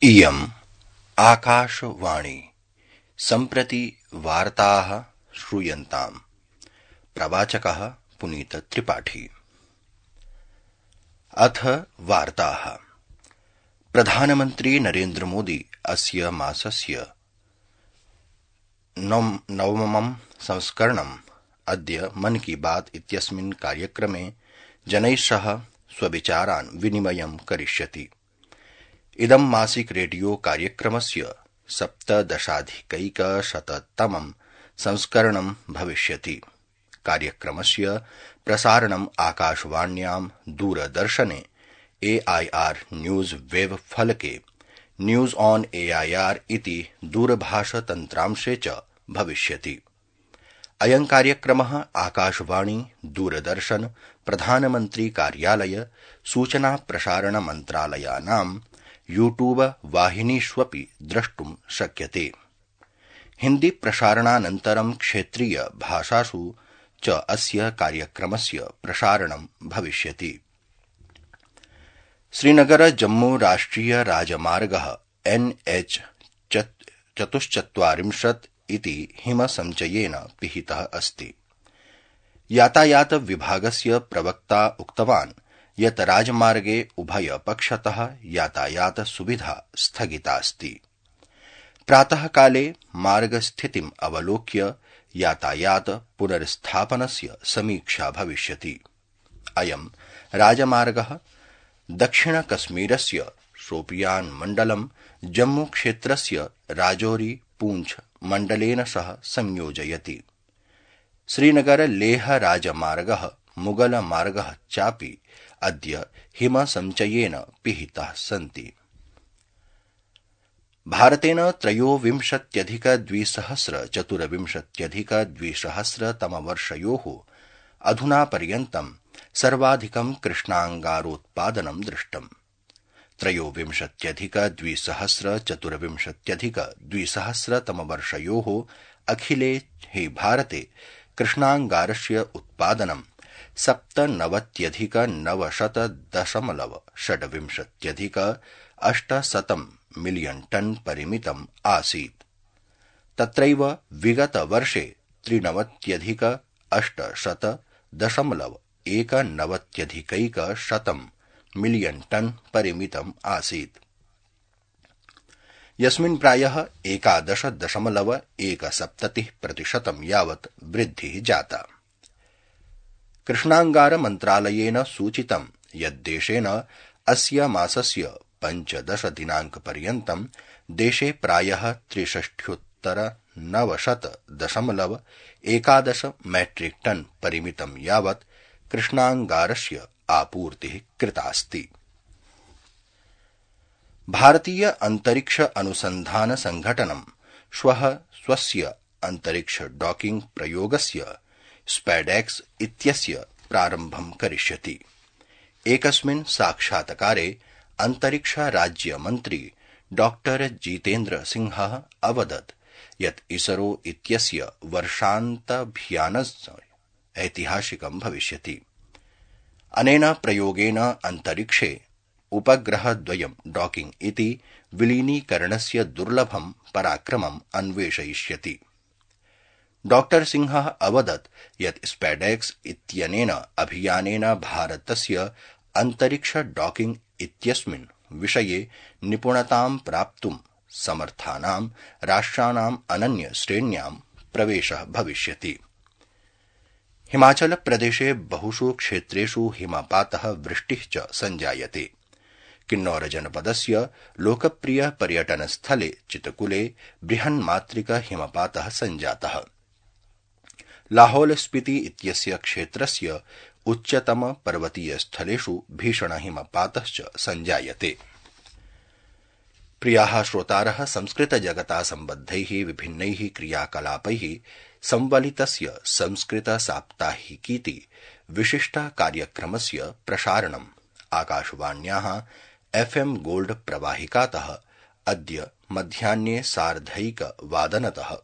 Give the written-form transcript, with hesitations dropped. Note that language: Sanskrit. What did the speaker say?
इयम् आकाशवाणी सम्प्रति वार्ताः श्रूयन्ताम्। प्रवाचकः पुनीत त्रिपाठी। अथ वार्ताः। प्रधानमन्त्री नरेन्द्र मोदी अस्य मासस्य नवमं संस्करणम् अद्य मन की बात इत्यस्मिन् कार्यक्रमे जनैः सह स्वविचारान् विनिमयं करिष्यति। इदं मासिक रेडियो कार्यक्रमस्य 17,100तमं संस्करणं भविष्यति। कार्यक्रमस्य प्रसारणम् आकाशवाण्यां, दूरदर्शने, AIR न्यूज वेब फलके, न्यूज ऑन AIR इति दूरभाषतन्त्रांशे च भविष्यति। अयं कार्यक्रमः आकाशवाणी, दूरदर्शन, प्रधानमन्त्री कार्यालय, सूचना प्रसारण मन्त्रालयानां यूट्यूब वाहिनीष्वपि द्रष्टुं शक्यते। हिन्दी प्रसारणानन्तरं क्षेत्रीय भाषासु च अस्य कार्यक्रमस्य प्रसारणं भविष्यति। श्रीनगर जम्मू राष्ट्रिय राजमार्गः NH-44 इति हिमसञ्चयेन पिहितः अस्ति। यातायात विभागस्य प्रवक्ता उक्तवान् यत् राजमार्गे उभयपक्षतः यातायात सुविधा स्थगितास्ति। प्रातःकाले मार्गस्थितिम् अवलोक्य यातायात पुनर्स्थापनस्य समीक्षा भविष्यति। अयं राजमार्गः दक्षिणकश्मीरस्य शोपियान् मण्डलं जम्मूक्षेत्रस्य राजौरी पूंछ मण्डलेन सह संयोजयति। श्रीनगर लेह राजमार्गः मुगल मार्गः चापि अद्य हिमसञ्चयेन पिहिताः सन्ति। भारतेन 23,224,200 अधुनापर्यन्तं सर्वाधिकं कृष्णाङ्गारोत्पादनं दृष्टम्। 23,224,200 अखिले हि भारते कृष्णाङ्गारस्य उत्पादनं 97,900,620 मिलियन टन परिमितम् आसीत्। तत्रैव विगतवर्षे 93,800,190 मिलियन टन परिमितम् आसीत्, यस्मिन् प्रायः 11.17% यावत् वृद्धिः जाता। कृष्णाङ्गार मन्त्रालयेन सूचितं यत् देशेन अस्य मासस्य 15 दिनाङ्कपर्यन्तं देशे प्रायः 63,900.11 मेट्रिक टन परिमितं यावत् कृष्णाङ्गारस्य आपूर्तिः कृतास्ति। भारतीय अन्तरिक्ष अनुसन्धान संघटनं श्वः स्वस्य अन्तरिक्ष डॉकिंग प्रयोगस्य स्पैडेक्स इत्यस्य प्रारम्भं करिष्यति। एकस्मिन् साक्षात्कारे अन्तरिक्ष राज्यमन्त्री डॉ जितेन्द्र सिंहः अवदत् यत् इसरो इत्यस्य वर्षान्तभियानस्य ऐतिहासिकं भविष्यति। अनेन प्रयोगेन अन्तरिक्षे उपग्रहद्वयं डॉकिंग इति विलीनीकरणस्य दुर्लभं पराक्रमम् अन्वेषयिष्यति। डॉ सिंहः अवदत् यत् स्पैडेक्स इत्यनेन अभियानेन भारतस्य अन्तरिक्ष डॉकिंग इत्यस्मिन् विषये निपुणतां प्राप्तुं समर्थानां राष्ट्राणाम् अनन्य श्रेण्यां प्रवेशः भविष्यति। हिमाचल प्रदेशे बहुषु क्षेत्रेषु हिमपातः, वृष्टिः च सञ्जायते। किन्नौर जनपदस्य लोकप्रिय पर्यटनस्थले चितकुले बृहन्मात्रिक हिमपातः सञ्जातः। लाहौल स्पीति इत्यस्य क्षेत्रस्य उच्चतम पर्वतीयस्थलेषु भीषणहिमपातश्च सञ्जायते। प्रियाः श्रोतारः, संस्कृतजगता सम्बद्धैः विभिन्नैः क्रियाकलापैः संवलितस्य संस्कृत साप्ताहिकीति विशिष्टकार्यक्रमस्य प्रसारणम् आकाशवाण्याः FM गोल्ड प्रवाहिकातः अद्य मध्याह्ने 1:30 वादनतः